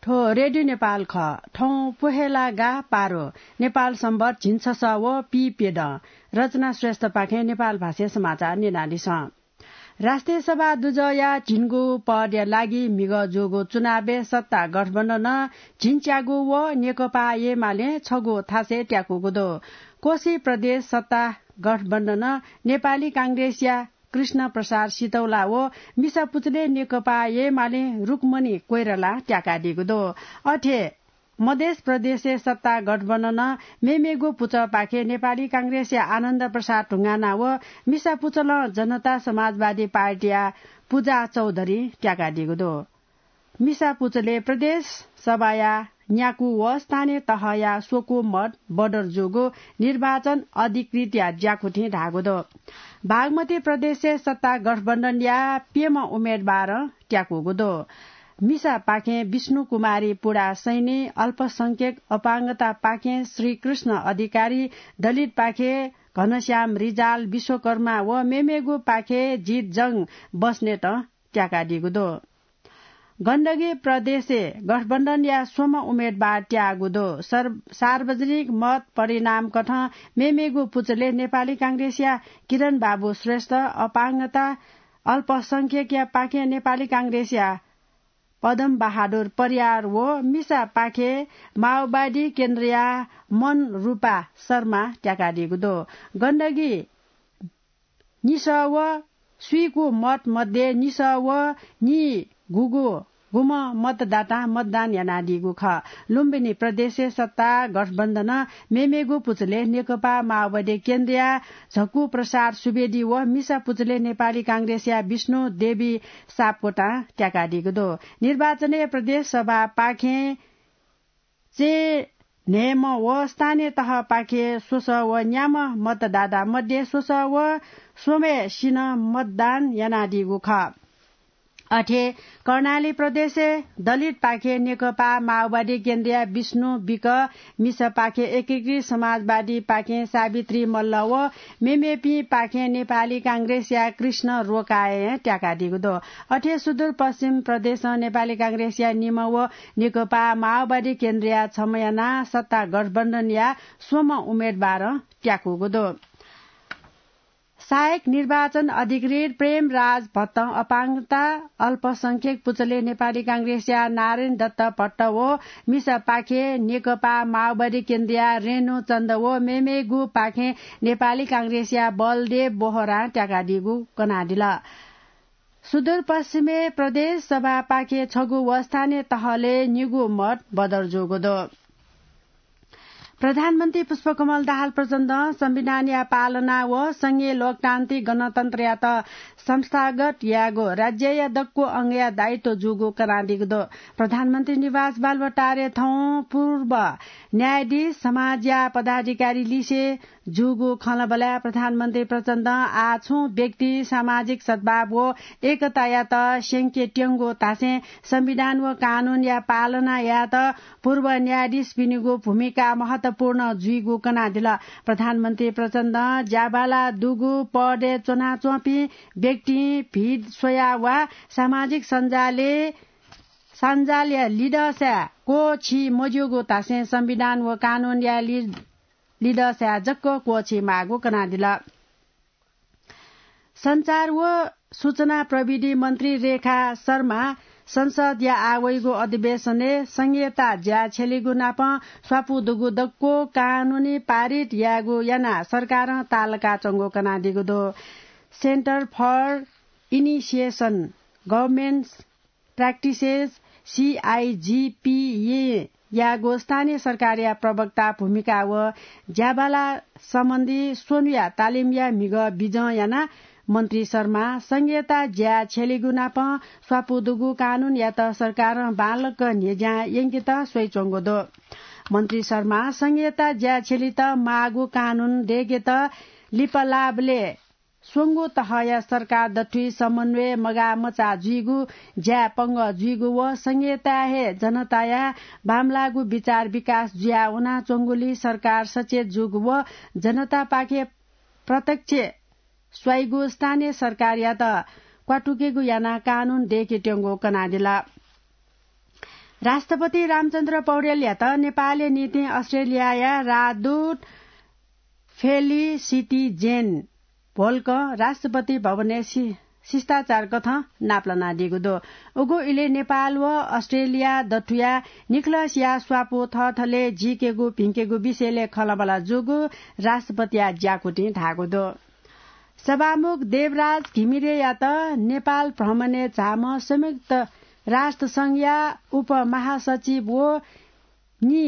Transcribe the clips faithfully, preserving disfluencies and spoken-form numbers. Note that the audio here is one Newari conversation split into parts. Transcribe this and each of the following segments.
थ्व रेडियो नेपाल खः। थौं पोहेला गा पारो, नेपाल संवत झिंछसः व पीप्यदँ। रचना श्रेष्ठपाखें नेपाल भाषाय् समाचार न्यनादिसँ। राष्ट्रिय सभा दुजःया झिंगु पदया लागि म्हिगः जूगु चुनावय् सत्ता गठबन्धनं झिंच्यागू व नेकपा एमालें छगू थासय् त्याकूगु दु। कोशी प्रदेश सत्ता गठबन्धनं नेपाली कांग्रेसया कृष्ण प्रसाद सितौला व मिसा पुचलय् नेकपा एमालें रुक्मणी कोइराला त्याकादीगु दु। अथे मधेस प्रदेशय् सत्ता गठबन्धनं मेमेगु पुचःपाखें नेपाली कांग्रेसया आनन्द प्रसाद ढुङ्गाना व मिसा पुचलं जनता समाजवादी पार्टीया पूजा चौधरी त्याकादीगु दु। मिसा पुचलय् प्रदेश सभाया न्याकू व स्थानीय तहया स्वकू मत बदर जूगु निर्वाचन अधिकृतया ज्याकुथिं धाःगु दु। बागमती प्रदेशय् सत्ता गठबन्धनया प्यम्ह उम्मेदवारं त्याकूगु दु। मिसापाखें विष्णु कुमारी पुडा सैनी, अल्पसंख्यक अपाङ्गतापाखें श्रीकृष्ण अधिकारी, दलितपाखें घनश्याम रिजाल विश्वकर्मा व मेमेगुपाखें जितजंग बस्नेतं त्याकादीगु दु। गण्डकी प्रदेशय् गठबन्धनया स्वम्ह उम्मेदवार त्याःगु दु। सर-, सार्वजनिक मत परिणामकथं मेमेगु पुचलय् नेपाली कांग्रेसया किरण बाबु श्रेष्ठ, अपाङ्गता अल्पसंख्यकया पाखें नेपाली कांग्रेसया पदम बहादुर परियार व मिसापाखें माओवादी केन्द्रया मनरूपा शर्मा त्याकादीगु दु। गण्डकी निसः व स्वीकू मत मध्ये निसः व नीगूगु गुम्ह मतदातां मतदान यानादीगु खः। लुम्बिनी प्रदेशय् सत्ता गठबन्धनं मेमेगु पुचलय् नेकपा माओवादी केन्द्रया झक्कु प्रसाद सुवेदी व मिसा पुचलय् नेपाली कांग्रेसया विष्णु देवी सापकोटां त्याकादीगु दु। निर्वाचनय् प्रदेश सभापाखें चय्न्हय्म्ह व स्थानीय तहपाखें स्वसः व न्याम्ह मतदाता मध्ये स्वसः व स्वम्हय्सिनं मतदान यानादीगु खः। अथे कर्णाली प्रदेशय् दलितपाखें नेकपा माओवादी केन्द्रया विष्णु विक, मिसापाखें एकीकृत समाजवादीपाखें सावित्री मल्ल व मेमेपिंपाखें नेपाली कांग्रेसया कृष्ण रोकायं त्याकादीगु दु। अथे सुदूरपश्चिम प्रदेशं नेपाली कांग्रेसया निम्ह व नेकपा माओवादी केन्द्रया छम्ह यानाः सत्ता गठबन्धनया स्वम्ह उम्मेदवारं त्याकूगु दु। सहायक निर्वाचन अधिकृत प्रेमराज भट्टं अपाङ्गता अल्पसंख्यक पुचलय् नेपाली कांग्रेसया नारायण दत्त भट्ट व मिसापाखें नेकपा माओवादी केन्द्रया रेणु चन्द व मेमेगुपाखें नेपाली कांग्रेसया बलदेव बोहरां त्याकादीगु कनादिल। सुदूरपश्चिमय् प्रदेश सभापाखें छगू व स्थानीय तहलय् निगू मत बदर जूगु दु। प्रधानमन्त्री पुष्पकमल दाहाल प्रचण्डं संविधानया पालना व संघीय लोकतान्त्रिक गणतन्त्रयात संस्थागत यायेगु राज्यया दक्व अंगया दायित्व जूगु कनादीगु दु। प्रधानमन्त्री निवास बालुवाटारय् थौं पूर्व न्यायाधीश समाजया पदाधिकारी लिसे जूगु खँल्हाबल्हाय् प्रधानमन्त्री प्रचण्डं आः छुं व्यक्ति सामाजिक सद्भाव व एकतायात स्यंके त्यंगु धासें संविधान व कानूनया पालना यायेत पूर्व न्यायाधीशपिनिगु भूमिका महत्वपूर्ण जुइगु कनादिल। प्रधानमन्त्री प्रचण्डं ज्याबाला दुगु पदय् च्वनाच्वंपिं व्यक्तिं भिड स्वयाः वा सामाजिक सञ्जालय् सञ्जालया लिदँसाय् क्वःछी मज्यूगु धासें संविधान व कानूनया लि-, लिदँसाय् जक क्वःछी माःगु कनादिल। सञ्चार व सूचना प्रविधि मन्त्री रेखा शर्मा संसदया आः वइगु अधिवेशनय् संघीयता ज्या छ्यलीगु नापं स्वापू दुगु दक्व कानूनी पारित यायेगु यानाः सरकारं ताःलाकाच्वंगु कनादीगु दु। Center for Initiation Governance Practices, CIGPA, यागु स्थानीय सरकारया प्रवक्ता भूमिका व ज्याबाला सम्बन्धी स्वन्हुया तालिमया म्हिगः बिजं यानाः मन्त्री शर्मा संघीयता ज्या छ्यलीगु नापं स्वापू दुगु कानूनयात सरकारं बांलाक न्ह्यज्यां यंकेत स्वयाच्वंगु दु। मन्त्री शर्मा संघीयता ज्या छ्यलीत माःगु कानून दय्केत लिपालाबलय् स्वंगू तहया सरकार दथुइ समन्वय मगाःमचाः जुइगु, ज्याय् पंगः जुइगु व संघीयताय् हे जनताया बांमलाःगु विचार विकास जुयाः वनाच्वंगुलिं सरकार सचेत जूगु व जनतापाखे प्रत्यक्ष स्वाइगु स्थानीय सरकारयात क्वातुकेगु यानाः कानून दय्केत्यंगु कनादिल। राष्ट्रपति रामचन्द्र पौडेलयात नेपालया निंतिं अस्ट्रेलियाया राजदूत फेलिसिटी जेन भोल्कं राष्ट्रपति भवनय् सि-, शिष्टाचार कथं नापलानादीगु दु। उगु इलय् नेपाल व अस्ट्रेलिया दथुया निखलसिया स्वापू थःथलय् जीकेगु भिंकेगु विषयलय् खँल्हाबल्हा जूगु राष्ट्रपतिया ज्याकुथिं धाःगु दु। सभामुख देवराज घिमिरेयात नेपाल भ्रमणय् झाःम्ह संयुक्त राष्ट्र संघया उपमहासचिव व नि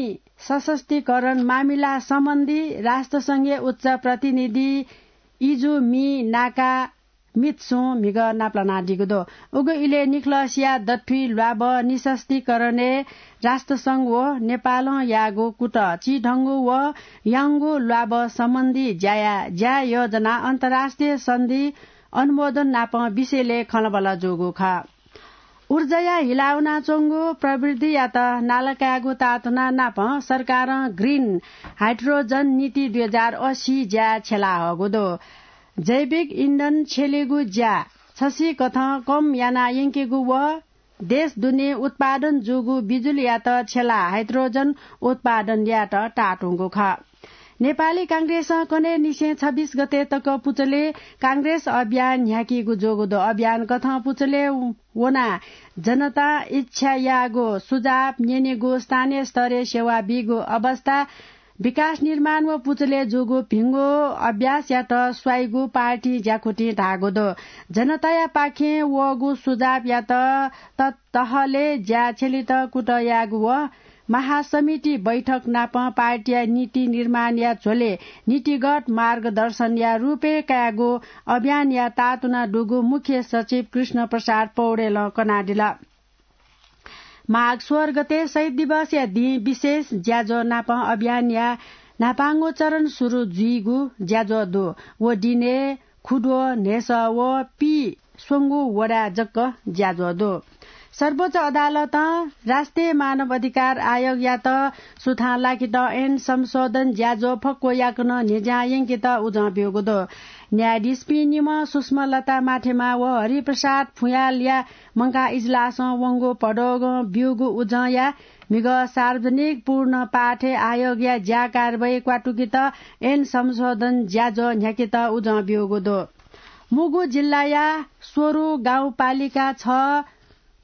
सशस्त्रीकरण मामिला सम्बन्धी राष्ट्रसंघीय उच्च प्रतिनिधि इजुमी नाका मित्सुं म्हिगः नापलानादीगु दु। उगु इलय् निखलसिया दथुइ ल्वाभः निसशस्त्रीकरणय् राष्ट्रसंघ व नेपालं याःगु कुतः चिधंगु व याउँगु ल्वाभः सम्बन्धी ज्याया, ज्या योजना अन्तर्राष्ट्रिय सन्धि अनुमोदन नापं विषयलय् खँल्हाबल्हा जूगु खः। ऊर्जाया हिला वनाच्वंगु प्रवृत्तियात नाला कायेगु ताःतुना नापं सरकारं ग्रिन हाइड्रोजन नीति दुई हजार अस्सी ज्या छ्यलाहःगु दु। जैविक इन्धन छ्यलेगु ज्या छसिकथं कम याना यंकेगु व देश दुने उत्पादन जूगु बिजुलीयात छ्यला हाइड्रोजन उत्पादन यायेत ताःतुंगु खः। नेपाली कांग्रेसं कन्हय् निसें छब्बीस गते तक पुचलय् कांग्रेस अभियान न्ह्याकीगु जूगु दु। अभियान कथं पुचलय् वनाः जनतां इच्छा याःगु सुझाव न्यनेगु, स्थानीय स्तरय् सेवा बीगु अवस्था, विकास निर्माण व पुचलय् जूगु भिंगु अभ्यासयात स्वाइगु पार्टीं ज्याकुथिं धाःगु दु। जनताया पाखें वःगु सुझावयात त-, तहलय् ज्या छ्यलेत कुतः यायेगु व महासमिति बैठक नापं पार्टीया नीति निर्माणया झ्वलय् नीतिगत मार्गदर्शनया रूपय् कायेगु अभियानया ताःतुना दुगु मुख्य सचिव कृष्ण प्रसाद पौडेलं कनादिल। माघ सोह्र गते शहीद दिवसया दिं विशेष ज्याझ्वः नापं अभियानया न्हापांगु चरण सुरु जुइगु ज्याझ्वः दु। व दिनय् खुद्वः, न्हेसः व पीस्वंगू वडाय् जक ज्याझ्वः दु। सर्वोच्च अदालतं राष्ट्रिय मानव अधिकार आयोगयात सुथां लाकेत ऐन संशोधन ज्याझ्वः फक्व याकनं न्ह्यज्यां यंकेत उजं ब्यूगु दु। न्यायाधीशपिं निम्ह सुषमा लता माथेमा व हरिप्रसाद फुयालया मंकाः इजलासं वंगु भदौगं ब्यूगु उजंया म्हिगः सार्वजनिक पूर्ण पाठय् आयोगया ज्या कारवाही क्वातुकेत ऐन संशोधन ज्याझ्वः न्ह्याकेत उजं ब्यूगु दु। मुगु जिल्लाया स्वरु गाउँपालिका छ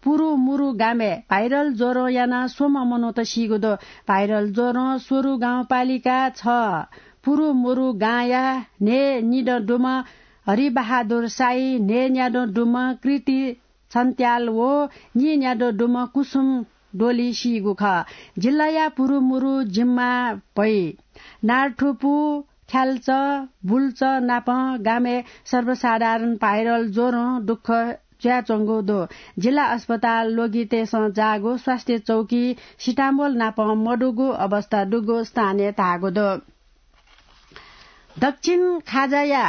पुरुमुरु गामय् भाइरल ज्वरं यानाः स्वम्ह मनूत सीगु दु। भाइरल ज्वरं स्वरु गाउँपालिका छ पुरुमुरु गांया न्हय् निदँ दुम्ह हरिबहादुर साई, न्हय् न्यादँ दुम्ह कृति छन्त्याल व नीन्यादँ दुम्ह कुसुम डोली सीगु खः। जिल्लाया पुरुमुरु जिम्मा भई नारथुपु, ख्याल्च, बुल्च नापं गामय् सर्वसाधारण भाइरल ज्वरं दुःख जुयाच्वंगु दु। जिल्ला अस्पताल लोगितेसं जाःगु स्वास्थ्य चौकी सिटामोल नापं मदुगु अवस्था दुगु स्थानीय धाःगु दु। दक्षिण खाजाया,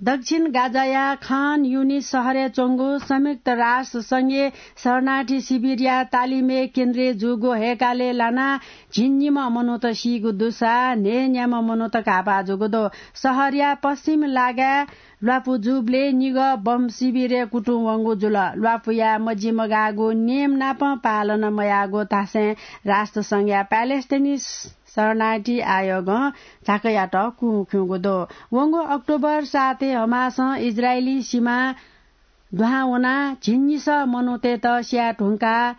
दक्षिण गाजाया खान युनिस शहरय् च्वंगु संयुक्त राष्ट्र संघीय शरणार्थी शिविरया तालिमय् केन्द्रीय जूगु हय्‌कालय् लानाः झिंनिम्ह मनूत सीगु दुसा न्हय्‌न्याम्ह मनूत घाःपाः जूगु दु। शहरया पश्चिम लागाय् ल्वापु जूबलय् निगः बम शिविरय् कुतुं वंगु जुल। ल्वापुया मजिमगाःगु नियम नाप पालन मयाःगु धासें राष्ट्र संघया प्यालेस्टाइनी शरणार्थी आयोगं झाँक्रीयात कुँ खिउँगु दु। वंगु अक्टोबर सातय् हमासं इजरायली सिमा दुहां वनाः झिंनिसः मनूतय्‌त स्याये धुंकाः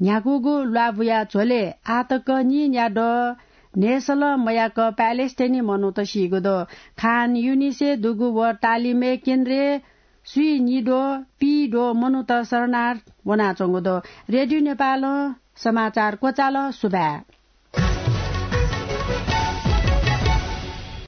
न्ह्याकूगु ल्वापुया झ्वलय् आःतक नीन्यादँ न्हय्‌सलं मयाक प्यालेस्टाइनी मनूत सीगु दु। खान युनिसय् दुगु व तालिमय् केन्द्रय् स्वीनिद्वः पीद्वः मनूत शरणार्थ वनाच्वंगु दु। रेडियो नेपालं समाचार क्वचाल। सुभाय्।